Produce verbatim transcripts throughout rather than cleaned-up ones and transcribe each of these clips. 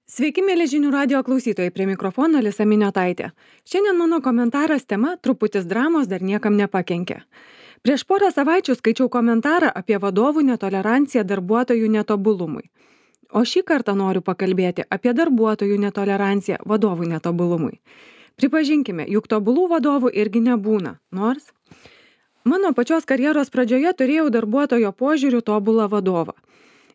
Sveiki, mėly žinių radio klausytojai, prie mikrofono Alisa Miniotaitė. Šiandien mano komentaras tema truputis dramos dar niekam nepakenkė. Prieš porą savaičių skaičiau komentarą apie vadovų netoleranciją darbuotojų netobulumui. O šį kartą noriu pakalbėti apie darbuotojų netoleranciją vadovų netobulumui. Pripažinkime, juk tobulų vadovų irgi nebūna, nors mano pačios karjeros pradžioje turėjau darbuotojo požiūrių tobulą vadovą.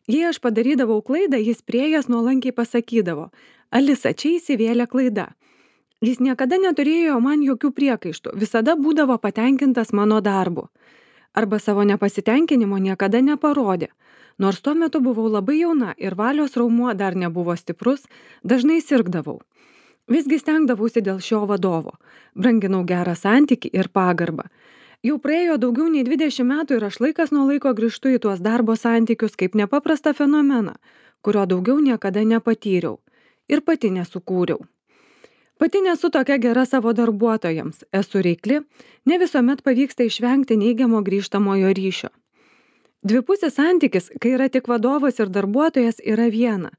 Jei aš padarydavau klaidą, jis prieėjęs nuolankiai pasakydavo: Alisa, čia įsivėlė klaida. Jis niekada neturėjo man jokių priekaištų, visada būdavo patenkintas mano darbu. Arba savo nepasitenkinimo niekada neparodė. Nors tuo metu buvau labai jauna ir valios raumuo dar nebuvo stiprus, dažnai sirgdavau. Visgi stengdavausi dėl šio vadovo. Branginau gerą santykį ir pagarbą. Jau praėjo daugiau nei dvidešimt metų ir aš laikas nuo laiko grįžtu į tuos darbo santykius kaip nepaprastą fenomeną, kurio daugiau niekada nepatyriau ir pati nesukūriau. Pati nesu tokia gera savo darbuotojams, esu reikli, ne visuomet pavyksta išvengti neigiamo grįžtamojo ryšio. Dvipusis santykis, kai yra tik vadovas ir darbuotojas, yra viena,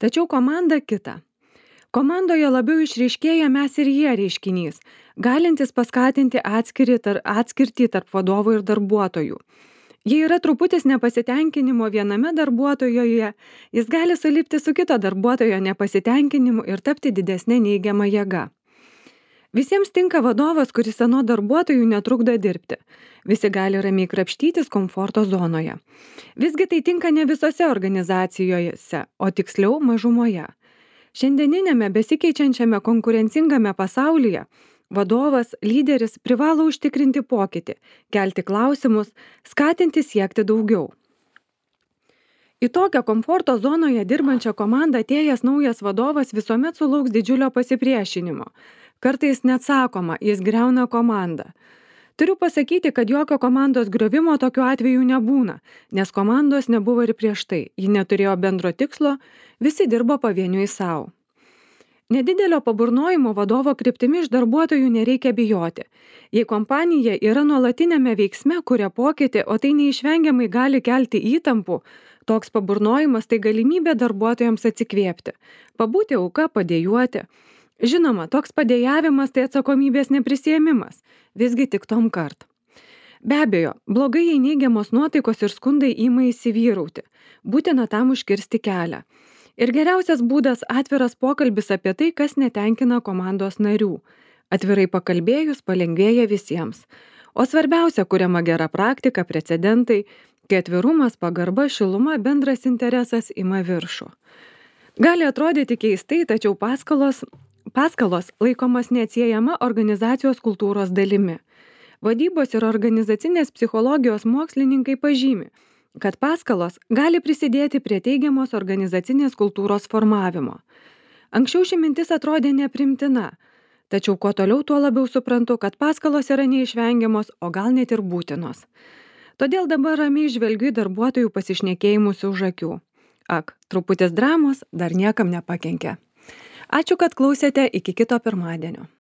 tačiau komanda kita. Komandoje labiau išryškėja mes ir jie reiškinys, galintis paskatinti atskirtį tarp, atskirtį tarp vadovų ir darbuotojų. Jei yra truputis nepasitenkinimo viename darbuotojoje, jis gali sulipti su kito darbuotojo nepasitenkinimu ir tapti didesnė neigiama jėga. Visiems tinka vadovas, kuris anot darbuotojų netrukdo dirbti. Visi gali ramiai krapštytis komforto zonoje. Visgi tai tinka ne visose organizacijose, o tiksliau mažumoje. Šiandieninėme besikeičiančiame konkurencingame pasaulyje vadovas, lyderis privalo užtikrinti pokytį, kelti klausimus, skatinti siekti daugiau. Į tokią komforto zonoje dirbančią komandą atėjęs naujas vadovas visuomet sulauks didžiulio pasipriešinimo. Kartais net sakoma, jis griauna komandą. Turiu pasakyti, kad jokio komandos griovimo tokiu atveju nebūna, nes komandos nebuvo ir prieš tai, ji neturėjo bendro tikslo, visi dirbo pavieniui savo. Nedidelio paburnojimo vadovo kryptimi iš darbuotojų nereikia bijoti. Jei kompanija yra nuolatinėme veiksme, kuria pokytį, o tai neišvengiamai gali kelti įtampų, toks paburnojimas tai galimybė darbuotojams atsikvėpti, pabūti auka, padėjuoti. Žinoma, toks padėjavimas tai atsakomybės neprisiėmimas, visgi tik tom kart. Be abejo, blogai jei neigiamos nuotaikos ir skundai ima įsivyrauti, būtina tam užkirsti kelią. Ir geriausias būdas atviras pokalbis apie tai, kas netenkina komandos narių. Atvirai pakalbėjus palengvėja visiems. O svarbiausia, kuriama gera praktika, precedentai, kai atvirumas, pagarba, šiluma, bendras interesas ima viršų. Gali atrodyti keistai, tačiau paskalos, paskalos laikomas neatsiejama organizacijos kultūros dalimi. Vadybos ir organizacinės psichologijos mokslininkai pažymi, kad paskalos gali prisidėti prie teigiamos organizacinės kultūros formavimo. Anksčiau ši mintis atrodė neprimtina, tačiau kuo toliau, tuo labiau suprantu, kad paskalos yra neišvengiamos, o gal net ir būtinos. Todėl dabar ramiai žvelgiu į darbuotojų pasišnekėjimus už akių. Ak, truputis dramos dar niekam nepakenkė. Ačiū, kad klausėte, iki kito pirmadienio.